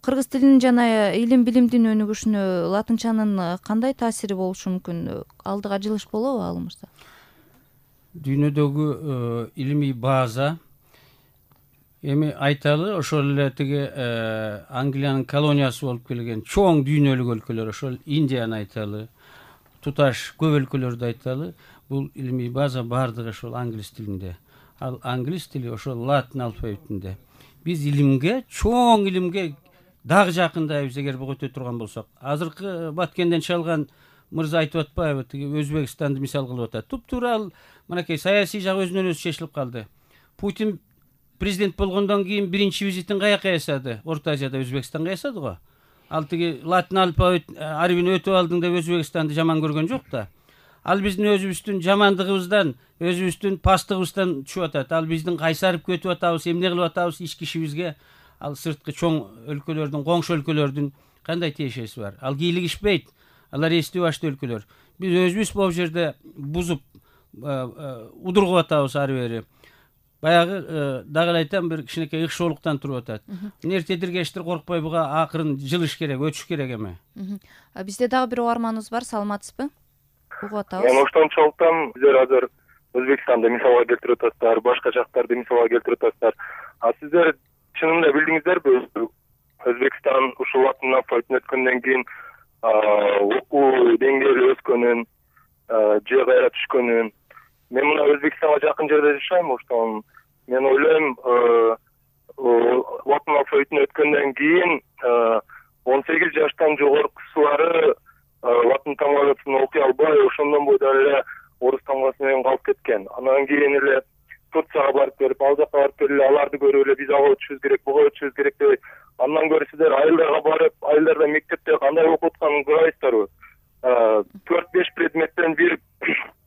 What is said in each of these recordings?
кыргыз тилинин жана илим билимдин өнүгүшүнө латынчанын кандай таасири болушу мүмкүн? Алдыга жылыш болобу ал мырза? Дүйнөдөгү илимий база эми айталы ошол эле тиги Англиянын колониясы болуп келген чоң дүйнөлүк өлкөлөр, ошол Индияны айталы, туташ көп өлкөлөрдү айталы, бул илимий база баардыгы ошол англис тилинде. Ал англис тили ошол латын алфавитинде. Биз илимге, чоң илимге дагы жакындайбыз эгер буга өтө турган болсок. Азыркы Баткенден чалган мырза айтып атпайбы, тиги Өзбекстанды мисал кылып атат. Туп-туура ал мынакей саясий жагы өзүнөн өзү чечилип калды. Путин президент болгондон кийин биринчи визитин каяка ясады? Орто Азияда Өзбекстанга ясады го. Ал тиги латын алфавит арбин өтүп алдың деп Өзбекстанды жаман көргөн жок да. Ал биздин өзүбүздүн жамандыгыбыздан, өзүбүздүн пастыгыбыздан түшүп атат. Ал биздин кайсарып кетип атабыз, эмне кылып атабыз ички ишибизге. Ал сырткы чоң өлкөлөрдүн, коңшу өлкөлөрдүн кандай тиешеси бар? Ал кийлигишпейт. Алар эсти башты өлкөлөр. Биз өзүбүз бул жерде бузуп, удургуп атабыз ары бери. Баягы дагы эле айтам, бир кичинекей ыкшоолуктан туруп атат. Эрте диргештир коркпой буга акырын жылыш керек, өтүш керек эми. Бизде дагы бир угарманыбыз бар, саламатсызбы? Угуп атабыз. Мен оштончолуктан сиздер азыр Өзбекстанды мисалга келтирип атасыздар, башка жактарды мисалга келтирип атасыздар. Сиздер чынында билдиңиздерби, Өзбекстан ушул латын алфавитине өткөндөн кийин окуу деңгээли өскөнүн, же кайра түшкөнүн. Мен мына Өзбекстанга жакын жерде жашайм, оштон мен ойлойм, латын алфавитине өткөндөн кийин 18 жаштан жогоркусулары латын тамгасын окуй албай, ошондон бойдон эле орус тамгасы менен калып кеткен. Андан кийин эле Турцияга барып берип, ал жака барып келип аларды көрүп эле биз ага өтүшүбүз керек, буга өтүшүбүз керек деп, андан көрө сиздер айылдарга барып, айылдарда мектепте кандай окуп атканын көрөйсүздарбы? 4-5 предметтен бир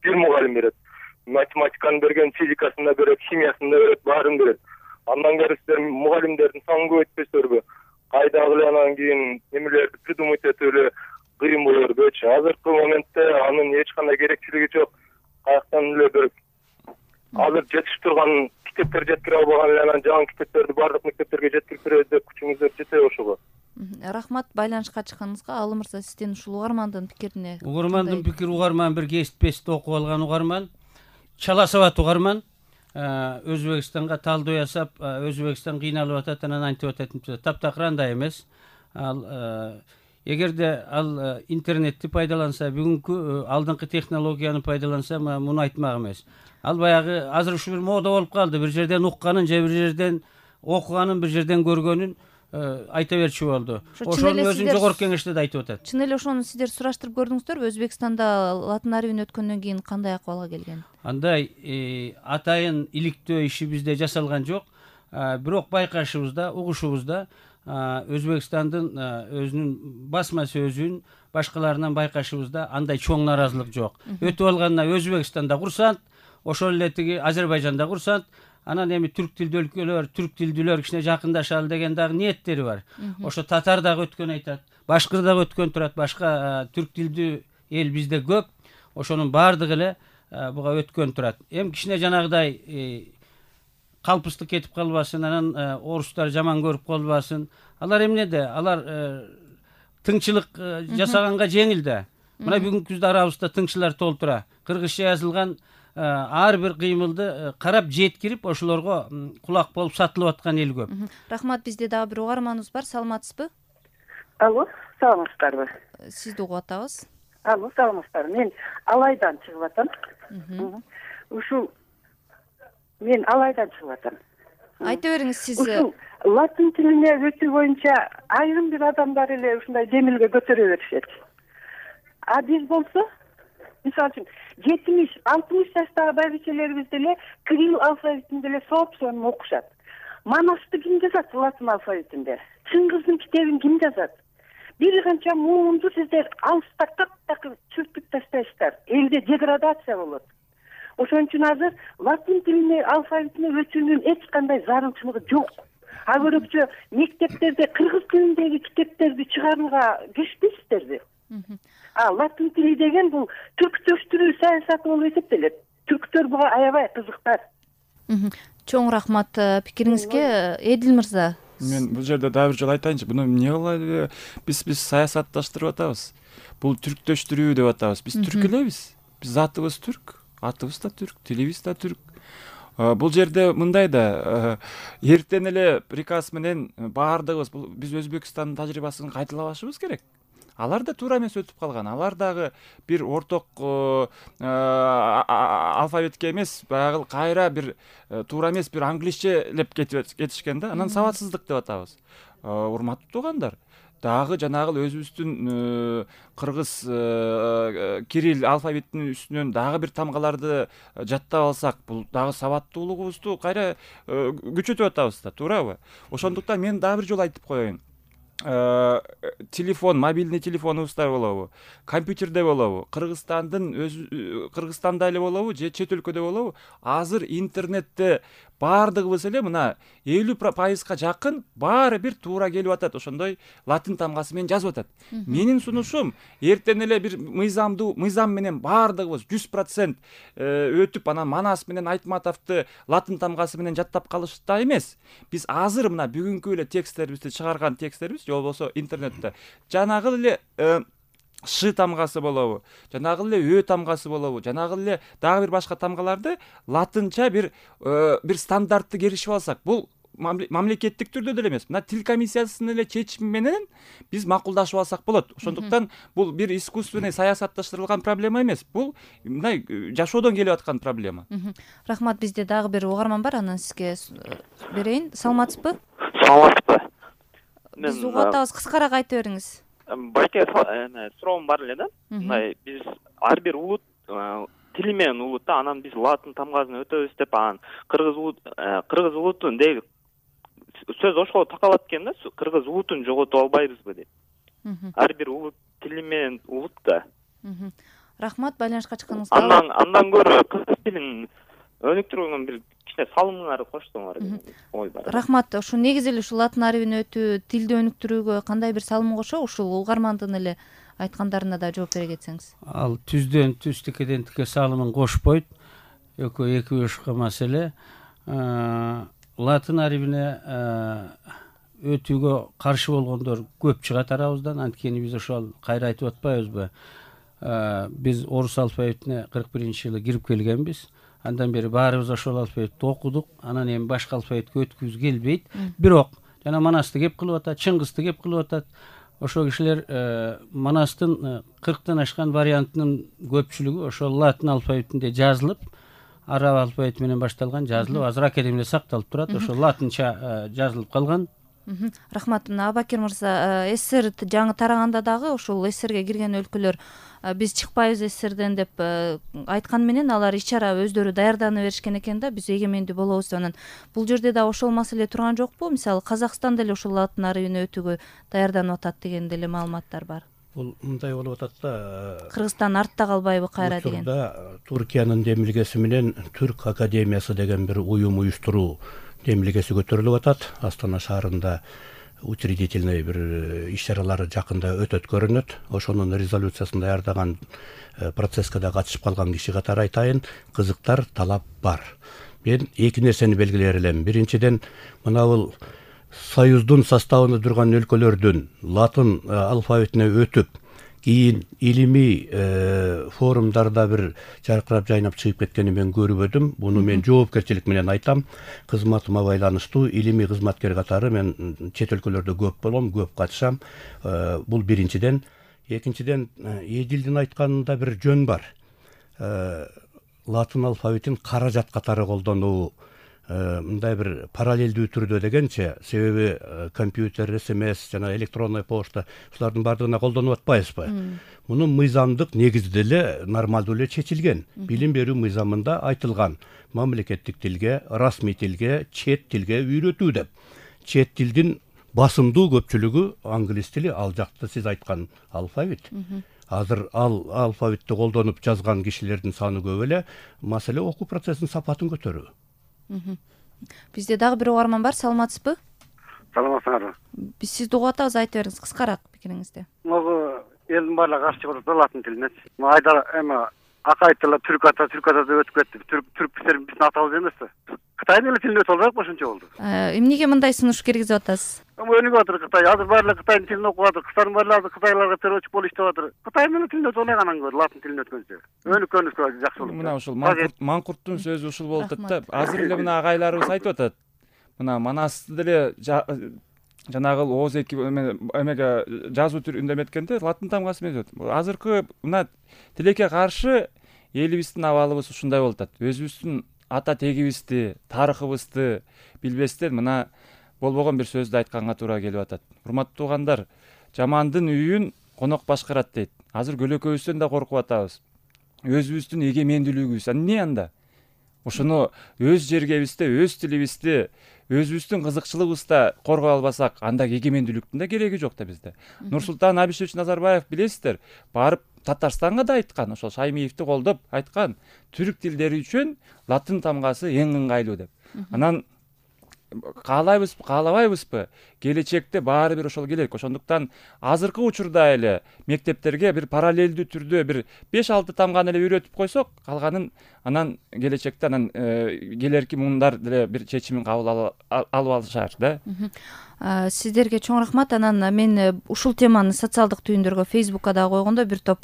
мугалим берет. Математиканы берген, физикасын да берет, химиясын да берет, баарын берет. Андан көрө сиздер мугалимдердин санын көбөйтпөйсүздарбы? Кайдагы эле анан кийин эмелерди придумать этип эле кыйын болор бөчү. Азыркы моментте анын эч кандай керектүүлүгү жок. Каяктан эле бир азыр жетип турган китептер жеткире албаган эле анан жаңы китептерди баардык мектептерге жеткирип беребиз деп күчүңүздөр жетеби ошого? Рахмат байланышка чыкканыңызга. Ал мырза, сиздин ушул угармандын пикирине? Угармандын пикири, угарман бир кесип окуп алган угарман, чала сабат угарман. Өзбекстанга талдоо жасап, Өзбекстан кыйналып атат, анан антип атат. Таптакыр андай эмес. Ал эгерде ал интернетти пайдаланса, бүгүнкү алдыңкы технологияны пайдаланса, муну айтмак эмес. Ал баягы азыр ушу бир мода болуп калды. Бир жерден укканын же бир жерден окуганын, бир жерден көргөнүн айта берчү болду. Ошонун өзүн жогорку кеңеште да айтып атат. Чын эле ошону сиздер сураштырып көрдүңүздөрбү? Өзбекстанда латын арбин өткөндөн кийин кандай акыбалга келген? Андай атайын иликтөө иши бизде жасалган жок. Бирок байкашыбызда, угушубузда Өзбекстандын өзүнүн басма сөзүн башкаларынан байкашыбызда андай чоң нааразылык жок. Өтүп алганына Өзбекстанда курсант, ошол эле тиги Азербайжанда курсант, анан эми түрк тилдүүлөр кичине жакындашалы деген дагы ниеттери бар. Ошо татар дагы өткөн айтат, башкыр дагы өткөн турат, башка түрк тилдүү эл бизде көп. Ошонун баардыгы эле буга өткөн турат. Эми кичине жанагыдай калпыстык кетип калбасын, анан орустар жаман көрүп калбасын. Алар эмнеде? Алар тыңчылык жасаганга жеңил да. Мына бүгүнкү күздө арабызда тыңчылар толтура. Кыргызча жазылган ар бир кыймылды карап жеткирип, ошолорго кулак болуп сатылып аткан эл көп. Рахмат, бизде дагы бир угарманыбыз бар. Саламатсызбы? Алло, саламатсыздарбы? Сизди угуп атабыз. Алло, саламатсыздарбы? Мен Алайдан чыгып атам. Ушул мен Алайдан чыгып атам. Айта бериңиз, сиз ушул латын тилине өтүү боюнча айрым бир адамдар эле ушундай демилге көтөрө беришет. Биз болсо, мисалы үчүн 70-60 жаштагы байбичелерибиз деле кирилл алфавитинде эле соопсонун окушат. Манасты ким жазат латын алфавитинде? Чыңгыздын китебин ким жазат? Бир канча муунду сиздер алыста так чүртүп таштайсыздар. Элде деградация болот. Ошон үчүн азыр латын тилине алфавитине өтүүнүн эч кандай зарылчылыгы жок. Көрөкчө мектептерде кыргыз тилиндеги китептерди чыгарууга киришпейсиздерби? Латын тили деген бул түрктөштүрүү саясаты болуп эсептелет. Түрктөр буга аябай кызыктар. Чоң рахмат пикириңизге. Эдил мырза, Мен бул жерде дагы бир жолу айтайынчы, буну эмне кылып биз саясатташтырып атабыз? Бул түрктөштүрүү деп атабыз. Биз түрк элебиз. Биз затыбыз түрк, атыбыз да түрк, тилибиз да түрк. Бул жерде мындай да, эртең эле приказ менен баардыгыбыз биз Өзбекстандын тажрыйбасын кайталабашыбыз керек. Алар да туура эмес өтүп калган. Алар дагы бир орток алфавитке эмес, баягы кайра бир туура эмес бир англисчелеп кетишкен да. Анан сабатсыздык деп атабыз. Урматтуу туугандар, дагы жанагы өзүбүздүн кыргыз кирилл алфавитинин үстүнөн дагы бир тамгаларды жаттап алсак, бул дагы сабаттуулугубузду кайра күчөтүп атабыз да, туурабы? Ошондуктан мен дагы бир жолу айтып коеюн. Телефон, мобильный телефонубузда болобу, компьютерде болобу, Кыргызстанда эле болобу же чет өлкөдө болобу, азыр интернетте баардыгыбыз эле мына 50% жакын баары бир туура келип атат, ошондой латын тамгасы менен жазып атат. Менин сунушум, эртең эле бир мыйзам менен баардыгыбыз 100% өтүп, анан Манас менен Айтматовду латын тамгасы менен жаттап калышта эмес. Биз азыр мына бүгүнкү эле тексттерибизди чыгарган тексттерибиз же болбосо интернетте жанагы эле Ш тамгасы болобу, жанагы эле Ö тамгасы болобу, жанагы эле дагы бир башка тамгаларды латынча бир стандартты керишип алсак, бул мамлекеттик түрдө деле эмес, мына тил комиссиясынын эле чечими менен биз макулдашып алсак болот. Ошондуктан бул бир искусственный саясатташтырылган проблема эмес. Бул мындай жашоодон келип аткан проблема. Рахмат, бизде дагы бир угарман бар, анан сизге берейин. Саламатсызбы? Саламатсызбы? Биз угуп атабыз, кыскараак айта бериңиз. Байке суроом бар эле да. Мындай биз ар бир улут тили менен улут да, анан биз латын тамгасын өтөбүз деп, анан кыргыз улутун деги сөз ошого такалат экен да, кыргыз улутун жоготуп албайбызбы деп. Ар бир улут тили менен улут да. Рахмат, байланышка чыкканыңызга. Андан көрө кыргыз тилин өнүктүрүүгө бир кичине салымыңарды коштуңар деген ой бар. Рахмат. Ушу негизи эле ушу латын арабин өтүү, тилди өнүктүрүүгө кандай бир салым кошо, ушул угармандын эле айткандарына да жооп бере кетсеңиз. Ал түздөн түз, тикеден тике салымын кошпойт. Экөө эки башка маселе. Латын арабине өтүүгө каршы болгондор көп чыгат арабыздан. Анткени биз ошол кайра айтып атпайбызбы? Биз орус алфавитине 41-жылы кирип келгенбиз. Андан бери баарыбыз ошол алфавитти окудук. Анан эми башка алфавитке өткүзгүбүз келбейт. Бирок жана Манасты кеп кылып атат, Чыңгызды кеп кылып атат. Ошол кишилер Манастын 40тан ашкан вариантынын көпчүлүгү ошол латын алфавитинде жазылып, араб алфавити менен башталган жазылып, азыр академияда сакталып турат. Ошол латынча жазылып калган. Рахмат. Абакир мырза, СССР жаңы тараганда дагы ошол СССРге кирген өлкөлөр биз чыкпайбыз СССРден деп айткан менен алар ичара өздөрү даярданып беришкен экен да, биз эгемендүү болобуз деп. Анан бул жерде да ошол маселе турган жокпу? Мисалы Казакстан деле ошол латын арабин өтүүгө даярданып атат деген деле маалыматтар бар. Бул мындай болуп атат да. Кыргызстан артта калбайбы кайра деген. Туркиянын демилгеси менен Түрк академиясы деген бир уюм уюштуруу демилгеси көтөрүлүп атат. Астана шаарында учредительный бир иш-чаралары жакында өтөт көрүнөт. Ошонун резолюциясын даярдаган, процесске да катышып калган киши катары айтайын, кызыктар, талап бар. Мен эки нерсени белгилер элем. Биринчиден, мына бул союздун составында турган өлкөлөрдүн латын алфавитине өтүп, кийин илимий форумдарда бир жаркырап жайнап чыгып кеткени мен көрбөдүм. Буну мен жоопкерчилик менен айтам. Кызматыма байланыштуу илимий кызматкер катары мен чет өлкөлөрдө көп болом, көп катышам. Бул биринчиден. Экинчиден, Эдилдин айтканында бир жөн бар. Латын алфавитин каражат катары колдонуу мындай бир параллелдүү түрдө дегенче, себеби компьютер, СМС жана электронный почта ушулардын баардыгына колдонуп атпайбызбы? Мунун мыйзамдык негизи деле нормалдуу эле чечилген. Билим берүү мыйзамында айтылган мамлекеттик тилге, расмий тилге, чет тилге үйрөтүү деп. Чет тилдин басымдуу көпчүлүгү англис тили, ал жакта сиз айткан алфавит. Азыр ал алфавитти колдонуп жазган кишилердин саны көп эле, маселе окуу процессинин сапатын көтөрүү. Бизде дагы бир угарман бар, саламатсызбы? Саламатсызбы? Биз сизди угуп атабыз, айта бериңиз кыскараак пикириңизди. Могу элдин баардыгы каршы болот да латын тилине. Айдар эми акай тили түрк ата деп өтүп кетти. Түрктөр биздин атабыз эмеспи? Кытайдын эле тилине өтө ошончо болду. Эмнеге мындай сунуш киргизип атасыз? Өнүгүп атыр Кытай. Азыр баары эле Кытайдын тилин окуп атыр. Кыздар баары эле кытайларга переводчик болуп иштеп атыр. Кытайдын эле тилине өтө оңой анан көрө, латын тилине өткөнчө. Өнүккөнүбүзгө жакшы болот. Мына ушул Маңкурттун сөзү ушул болуп атат да. Азыр эле мына агайларыбыз айтып атат. Мына Манасты деле жанагы ооз эки эмеге жазуу түрүндө эметкенде латын тамгасы менен өтөт. Азыркы мына тилекке каршы элибиздин абалыбыз ушундай болуп атат. Өзүбүздүн ата тегибизди, тарыхыбызды билбестен мына болбогон бир сөздү айтканга туура келип атат. Урматтуу туугандар, жамандын үйүн конок башкарат дейт. Азыр көлөкөбүздөн да коркуп атабыз. Өзүбүздүн эгемендүүлүгүбүз эмне анда? Ошону өз жергебизде, өз тилибизди, өзүбүздүн кызыкчылыгыбызда коргой албасак, анда эгемендүүлүктүн да кереги жок да бизде. Нурсултан Абишевич Назарбаев билесиздер, барып Татарстанга да айткан, ошол Шаймиевди колдоп айткан, түрк тилдери үчүн латын тамгасы эң ыңгайлуу деп. Анан каалабайбызбы, келечекте баары бир ошол келет. Ошондуктан азыркы учурда эле мектептерге бир параллелдүү түрдө бир 5-6 тамганы эле үйрөтүп койсок, калганын анан келечекте анан келерки муундар деле бир чечимин кабыл алып алышар да. Сиздерге чоң рахмат. Анан мен ушул теманы социалдык түйүндөргө Facebook'ка да койгондо бир топ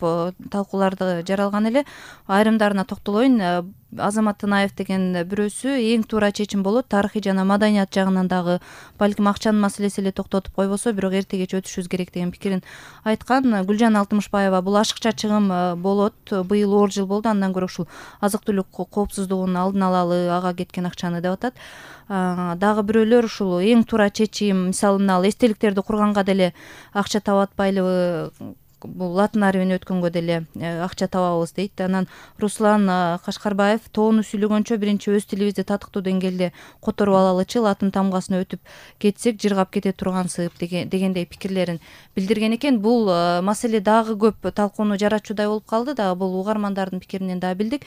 талкууларды жаралган эле. Айрымдарына токтолоюн. Азамат Тынаев деген бирөөсү эң туура чечим болот, тарыхый жана маданият жагынан дагы балким акчанын маселеси эле токтотуп койбосо, бирок эрте кеч өтүшүбүз керек деген пикирин айткан. Гүлжан Алтымышбаева бул ашыкча чыгым болот. Быйыл оор жыл болду. Андан көрө ушул азык-түлүк коопсуздугунун алдын алалы, ага кеткен акчаны деп атат. Дагы бирөөлөр ушул эң туура чечим, мисалы мына эстеликтерди курганга деле акча таап атпайлыбы, бул латын арабин өткөнгө деле акча табабыз дейт. Анан Руслан Кашкарбаев тоону сүйлөгөнчө биринчи өз тилибизди татыктуу деңгээлде которуп алалычы, латын тамгасын өтүп кетсек жыргап кете тургансып дегендей пикирлерин билдирген экен. Бул маселе дагы көп талкууну жаратчудай болуп калды да, бул угармандардын пикиринен да билдик.